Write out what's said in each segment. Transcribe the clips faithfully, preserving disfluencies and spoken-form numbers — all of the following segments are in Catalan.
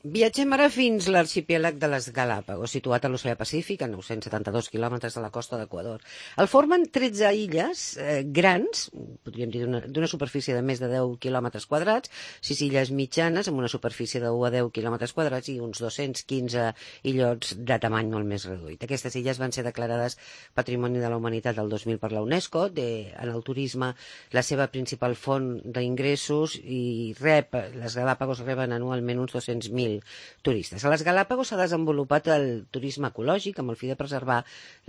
Viatgem ara fins l'arxipèlag de les Galàpagos, situat a l'Oceà Pacífic, a nou-cents setanta-dos quilòmetres de la costa d'Equador. El formen tretze illes eh, grans, podríem dir d'una superfície de més de deu quilòmetres quadrats, sis illes mitjanes amb una superfície de u a deu quilòmetres quadrats i uns dos-cents quinze illots de tamany molt més reduït. Aquestes illes van ser declarades Patrimoni de la Humanitat del dos mil per la UNESCO, de, en el turisme la seva principal font d'ingressos, i rep, les Galàpagos reben anualment uns dos-cents mil turistes. A les Galàpagos s'ha desenvolupat el turisme ecològic amb el fi de preservar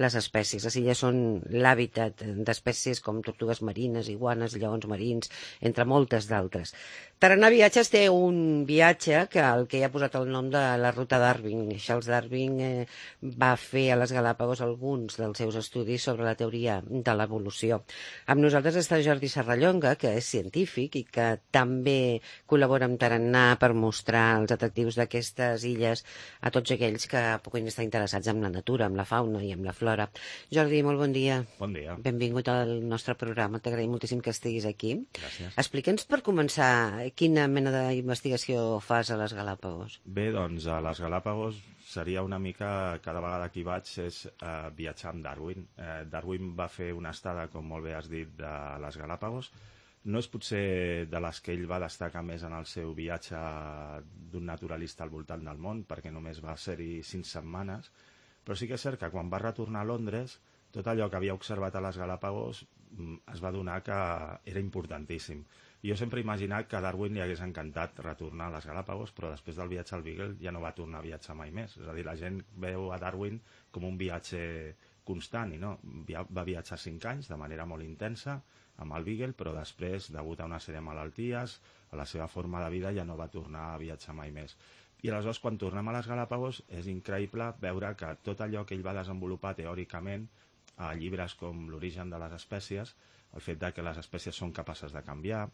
les espècies. Les illes són l'hàbitat d'espècies com tortugues marines, iguanes, lleons marins, entre moltes d'altres. Tarannà Viatges té un viatge que el que ha posat el nom de la ruta Darwin. Charles Darwin eh, va fer a les Galàpagos alguns dels seus estudis sobre la teoria de l'evolució. Amb nosaltres està Jordi Serrallonga, que és científic i que també col·labora amb Tarannà per mostrar els atractius d'aquestes illes a tots aquells que puguin estar interessats en la natura, amb la fauna i amb la flora. Jordi, molt bon dia. Bon dia. Benvingut al nostre programa. T'agraïm moltíssim que estiguis aquí. Gràcies. Explica'ns, per començar, quina mena d'investigació fas a les Galàpagos? Bé, doncs a les Galàpagos seria una mica, cada vegada que hi vaig, és eh, viatjar amb Darwin. Eh, Darwin va fer una estada, com molt bé has dit, de les Galàpagos. No és potser de les que ell va destacar més en el seu viatge d'un naturalista al voltant del món, perquè només va ser-hi cinc setmanes, però sí que és cert que quan va retornar a Londres, tot allò que havia observat a les Galàpagos es va adonar que era importantíssim. Jo sempre he imaginat que a Darwin li hagués encantat retornar a les Galàpagos, però després del viatge al Beagle ja no va tornar a viatjar mai més. És a dir, la gent veu a Darwin com un viatge constant, i no, va viatjar cinc anys de manera molt intensa amb el Beagle, però després, degut a una sèrie de malalties, a la seva forma de vida, ja no va tornar a viatjar mai més. I aleshores, quan tornem a les Galàpagos, és increïble veure que tot allò que ell va desenvolupar teòricament a llibres com L'origen de les espècies, el fet de que les espècies són capaces de canviar,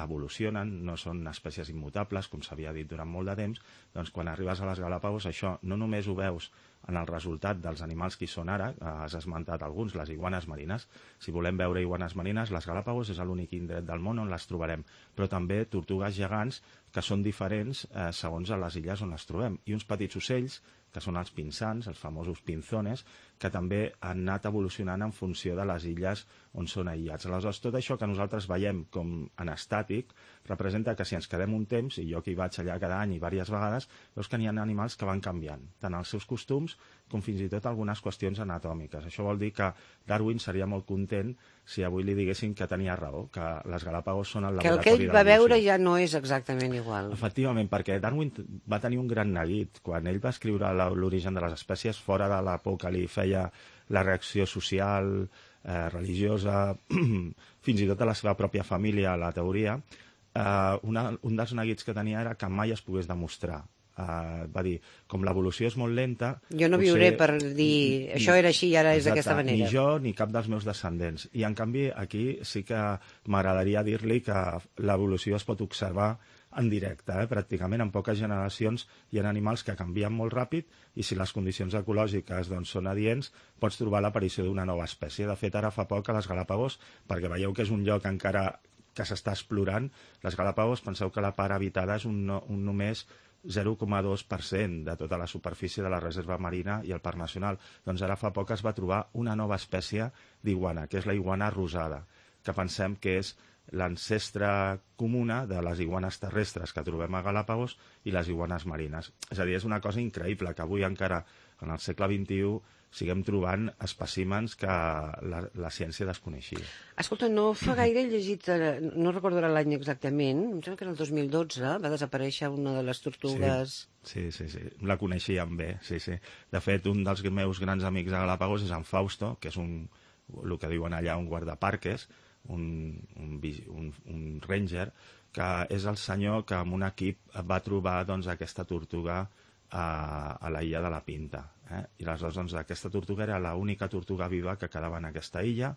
evolucionen, no són espècies immutables, com s'havia dit durant molt de temps, doncs quan arribes a les Galàpagos això no només ho veus en el resultat dels animals que hi són ara, has esmentat alguns, les iguanes marines. Si volem veure iguanes marines, les Galàpagos és l'únic indret del món on les trobarem, però també tortugues gegants que són diferents eh, segons a les illes on les trobem, i uns petits ocells que són els pinsans, els famosos pinzones, que també han anat evolucionant en funció de les illes on són aïllats. Aleshores, tot això que nosaltres veiem com en estàtic representa que si ens quedem un temps, i jo que hi vaig allà cada any i diverses vegades, veus que n'hi ha animals que van canviant, tant els seus costums com fins i tot algunes qüestions anatòmiques. Això vol dir que Darwin seria molt content si avui li diguessin que tenia raó, que les Galàpagos són el laboratori de l'evolució. Que el que ell va veure ja no és exactament igual. Efectivament, perquè Darwin va tenir un gran neguit. Quan ell va escriure L'origen de les espècies, fora de la por que li feia la reacció social, eh, religiosa, fins i tot a la seva pròpia família, a la teoria, eh, una, un dels neguits que tenia era que mai es pogués demostrar. Uh, va dir, com l'evolució és molt lenta... Jo no viuré per dir, això era així i ara és d'aquesta manera. Ni jo ni cap dels meus descendents. I en canvi aquí sí que m'agradaria dir-li que l'evolució es pot observar en directe, eh? Pràcticament en poques generacions hi ha animals que canvien molt ràpid i si les condicions ecològiques doncs, són adients pots trobar l'aparició d'una nova espècie. De fet, ara fa poc a les Galàpagos, perquè veieu que és un lloc encara que s'està explorant, les Galàpagos penseu que la part habitada és un, un només zero coma dos per cent de tota la superfície de la reserva marina i el parc nacional. Doncs ara fa poc es va trobar una nova espècie d'iguana, que és la iguana rosada, que pensem que és l'ancestre comuna de les iguanes terrestres que trobem a Galàpagos i les iguanes marines. És a dir, és una cosa increïble que avui encara, en el segle vint-i-u, siguem trobant espècimens que la, la ciència desconeixia. Escolta, no fa gaire he llegit, no recordo l'any exactament, em sembla que era el dos mil dotze, va desaparèixer una de les tortugues... Sí, sí, sí, sí. La coneixíem bé, sí, sí. De fet, un dels meus grans amics a Galàpagos és en Fausto, que és un, el que diuen allà un guardaparques, un, un, un, un ranger, que és el senyor que amb un equip va trobar doncs, aquesta tortuga a, a la illa de la Pinta. Eh? I aleshores doncs, aquesta tortuga era l'única tortuga viva que quedava en aquesta illa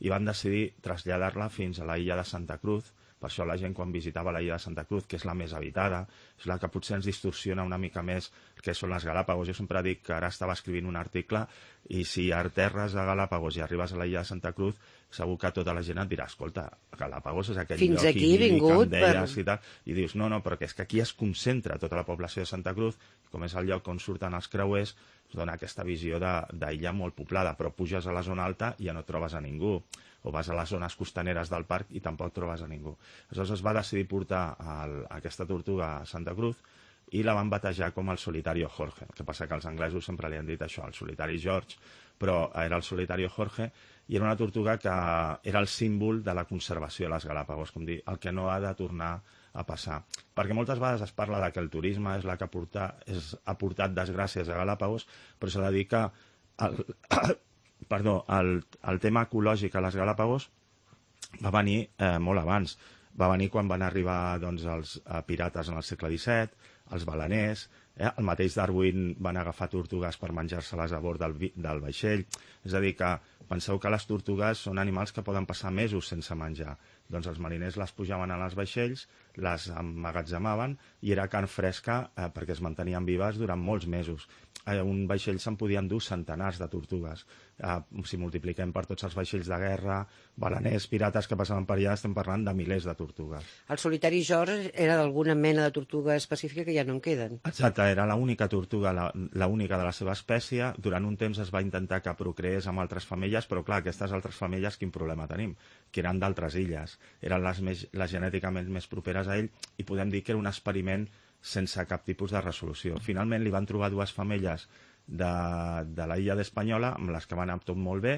i van decidir traslladar-la fins a la illa de Santa Cruz. Per això la gent quan visitava la illa de Santa Cruz, que és la més habitada, és la que potser ens distorsiona una mica més que són les Galàpagos. Jo sempre dic que ara estava escrivint un article i si aterres a Galàpagos i arribes a la illa de Santa Cruz segur que tota la gent et dirà, escolta, Galápagos és aquell Fins lloc aquí he idíl·lic que vingut em deies per- i tal, i dius, no, no, però que és que aquí es concentra tota la població de Santa Cruz, com és el lloc on surten els creuers, es dona aquesta visió de- d'illa molt poblada, però puges a la zona alta i ja no trobes a ningú, o vas a les zones costaneres del parc i tampoc trobes a ningú. Aleshores es va decidir portar el, aquesta tortuga a Santa Cruz i la van batejar com el Solitario Jorge. El que passa que els anglesos sempre li han dit això, el Solitari George, però era el Solitario Jorge, i era una tortuga que era el símbol de la conservació a les Galápagos, com dir, el que no ha de tornar a passar. Perquè moltes vegades es parla de que el turisme és la que porta, és, ha portat desgràcies a Galápagos, però s'ha de dir que el, perdó, el, el tema ecològic a les Galápagos va venir eh, molt abans. Va venir quan van arribar doncs, els eh, pirates en el segle disset, els baleners, eh? El mateix Darwin van agafar tortugues per menjar-se-les a bord del, del vaixell. És a dir, que penseu que les tortugues són animals que poden passar mesos sense menjar. Doncs els mariners les pujaven a les vaixells, les emmagatzemaven i era carn fresca eh, perquè es mantenien vives durant molts mesos. A un vaixell se'n podien dur centenars de tortugues. Eh, si multipliquem per tots els vaixells de guerra, baleners, pirates que passaven per allà, estem parlant de milers de tortugues. El Solitari George era d'alguna mena de tortuga específica que ja no en queden. Exacte, era l'única tortuga, la, la única de la seva espècie. Durant un temps es va intentar que procreés amb altres femelles, però clar, aquestes altres femelles quin problema tenim? Que eren d'altres illes, eren les, més, les genèticament més properes a ell i podem dir que era un experiment sense cap tipus de resolució. Finalment li van trobar dues femelles de, de la illa d'Espanyola amb les que van anar tot molt bé,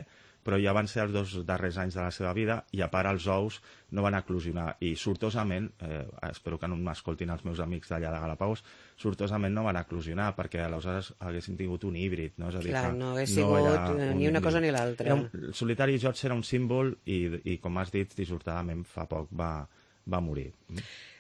però ja van ser els dos darrers anys de la seva vida i a part els ous no van eclosionar i sortosament, eh, espero que no m'escoltin els meus amics d'allà de Galápagos, sortosament no van eclosionar perquè aleshores haguéssim tingut un híbrid, no? És a dir, Clar, que no hagués no sigut era eh, un ni una cosa híbrid. ni l'altra. Era un- El Solitari George era un símbol i, i com has dit, dissortadament fa poc va, va morir.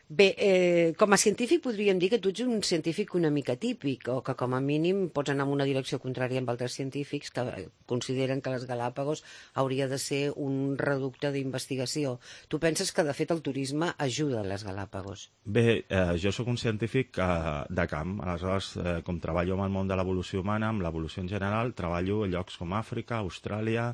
Bé, eh, com a científic podríem dir que tu ets un científic una mica típic, o que com a mínim pots anar en una direcció contrària amb altres científics que consideren que les Galápagos hauria de ser un reducte d'investigació. Tu penses que, de fet, el turisme ajuda a les Galápagos? Bé, eh, jo sóc un científic eh, de camp, aleshores, eh, com treballo amb el món de l'evolució humana, amb l'evolució en general, treballo a llocs com Àfrica, Austràlia,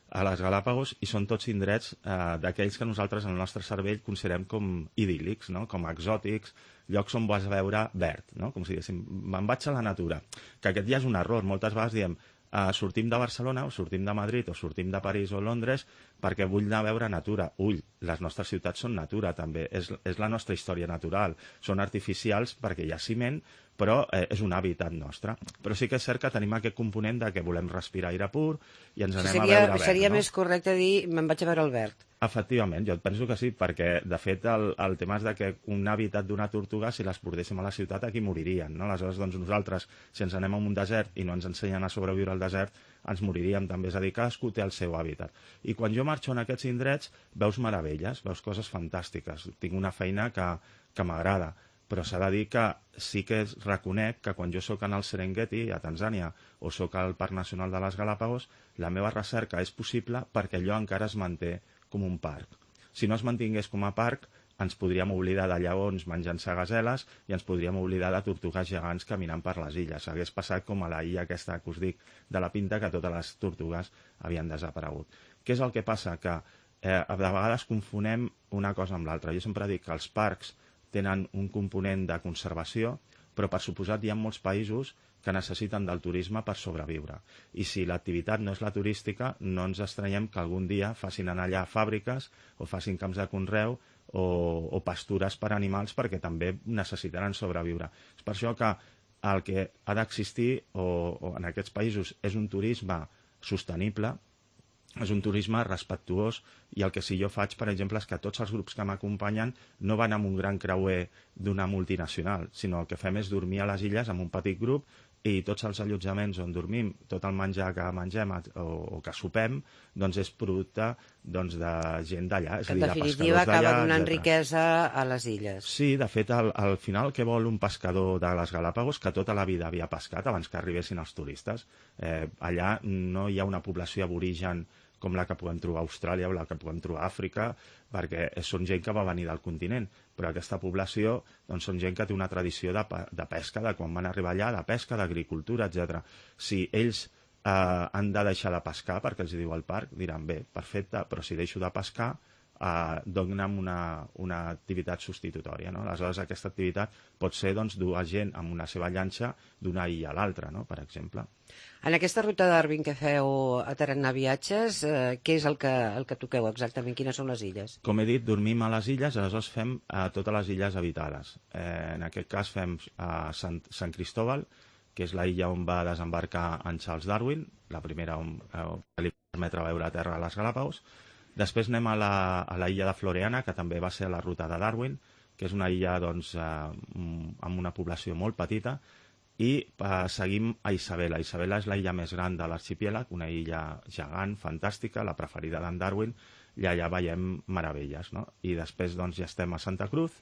a les Galápagos, i són tots indrets eh, d'aquells que nosaltres en el nostre cervell considerem com idíl·lics, no? Com exòtics, llocs on vas veure verd, no? Com si diguéssim, me'n vaig a la natura. Que aquest ja és un error. Moltes vegades diem, eh, sortim de Barcelona o sortim de Madrid o sortim de París o Londres perquè vull anar a veure natura. Ull, les nostres ciutats són natura també, és, és la nostra història natural. Són artificials perquè hi ha ciment, però eh, és un hàbitat nostre. Però sí que és cert que tenim aquest component de que volem respirar aire pur i ens anem Seria, a veure verd, seria no? més correcte dir me'n vaig a veure el verd. Efectivament, jo penso que sí, perquè de fet el, el tema és de que un hàbitat d'una tortuga, si les portéssim a la ciutat, aquí moririen, no? Aleshores, doncs nosaltres, si ens anem a un desert i no ens ensenyen a sobreviure al desert, ens moriríem també, és a dir, cadascú té el seu hàbitat. I quan jo marxo en aquests indrets, veus meravelles, veus coses fantàstiques, tinc una feina que, que m'agrada, però s'ha de dir que sí que reconec que quan jo sóc en el Serengeti, a Tanzània, o sóc al Parc Nacional de les Galápagos, la meva recerca és possible perquè allò encara es manté com un parc. Si no es mantingués com a parc, ens podríem oblidar de lleons menjant-se gaseles i ens podríem oblidar de tortugues gegants caminant per les illes. Hagués passat com a la illa aquesta que us dic de la Pinta, que totes les tortugues havien desaparegut. Què és el que passa? Que eh, de vegades confonem una cosa amb l'altra. Jo sempre dic que els parcs tenen un component de conservació, però per suposat hi ha molts països que necessiten del turisme per sobreviure. I si l'activitat no és la turística, no ens estranyem que algun dia facin anar allà fàbriques o facin camps de conreu o, o pastures per animals perquè també necessitaran sobreviure. És per això que el que ha d'existir o, o en aquests països és un turisme sostenible, és un turisme respectuós, i el que sí jo faig, per exemple, és que tots els grups que m'acompanyen no van amb un gran creuer d'una multinacional, sinó el que fem és dormir a les illes amb un petit grup i tots els allotjaments on dormim, tot el menjar que mengem o, o que sopem, doncs és producte doncs, de gent d'allà. Que en definitiva acaba donant riquesa a les illes. Sí, de fet, al, al final què vol un pescador de les Galápagos? Que tota la vida havia pescat abans que arribessin els turistes. Eh, allà no hi ha una població aborigen com la que podem trobar a Austràlia o la que podem trobar a Àfrica, perquè són gent que va venir del continent, però aquesta població doncs, són gent que té una tradició de, de pesca, de quan van arribar allà, de pesca, d'agricultura, etcètera. Si ells han de deixar de pescar perquè els diu el parc, diran bé, perfecte, però si deixo de pescar Uh, dona'm una, una activitat substitutòria, no? Aleshores aquesta activitat pot ser doncs, dur a gent amb una seva llanxa d'una illa a l'altra, no? Per exemple. En aquesta ruta d'Arvin que feu a Tarannà Viatges, eh, què és el que, el que toqueu exactament? Quines són les illes? Com he dit, dormim a les illes, aleshores fem uh, totes les illes habitades. Eh, en aquest cas fem uh, Sant, Sant Cristóbal, que és la illa on va desembarcar en Charles Darwin, la primera on uh, li permetre veure a terra a les Galàpagos. Després anem a la, a la illa de Floreana, que també va ser la ruta de Darwin, que és una illa doncs, eh, amb una població molt petita, i eh, seguim a Isabela. Isabela és la illa més gran de l'arxipèlag, una illa gegant, fantàstica, la preferida d'en Darwin, i allà veiem meravelles, no? I després doncs, ja estem a Santa Cruz,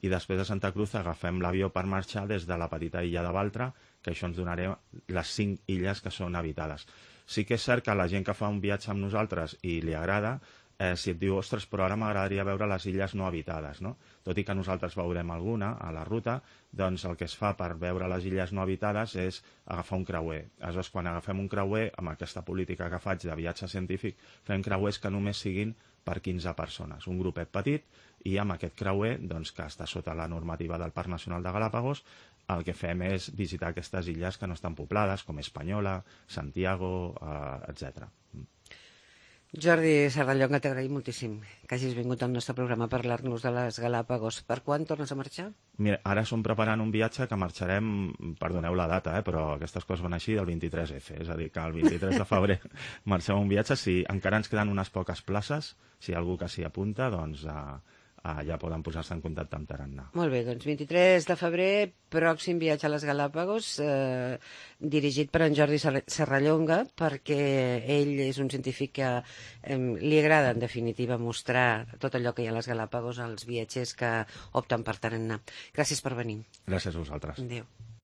i després de Santa Cruz agafem l'avió per marxar des de la petita illa de Baltra, que això ens donarà les cinc illes que són habitades. Sí que és cert que la gent que fa un viatge amb nosaltres i li agrada, eh, si et diu, ostres, però ara m'agradaria veure les illes no habitades, no? Tot i que nosaltres veurem alguna a la ruta, doncs el que es fa per veure les illes no habitades és agafar un creuer. Aleshores, quan agafem un creuer, amb aquesta política que faig de viatge científic, fem creuers que només siguin per quinze persones, un grupet petit, i amb aquest creuer, doncs, que està sota la normativa del Parc Nacional de Galàpagos, el que fem és visitar aquestes illes que no estan poblades, com Espanyola, Santiago, eh, etcètera. Jordi Serrallonga, t'agraïm moltíssim que hagis vingut al nostre programa a parlar-nos de les Galàpagos. Per quan tornes a marxar? Mira, ara som preparant un viatge que marxarem, perdoneu la data, eh, però aquestes coses van així, del vint-i-tres efa, és a dir, que el vint-i-tres de febrer marxem un viatge. Si encara ens queden unes poques places, si hi ha algú que s'hi apunta, doncs eh, eh, ja poden posar-se en contacte amb Tarannà. Molt bé, doncs vint-i-tres de febrer, pròxim viatge a les Galàpagos, eh, dirigit per en Jordi Serrallonga, perquè ell és un científic que eh, li agrada, en definitiva, mostrar tot allò que hi ha a les Galàpagos als viatgers que opten per Tarannà. Gràcies per venir. Gràcies a vosaltres. Adéu.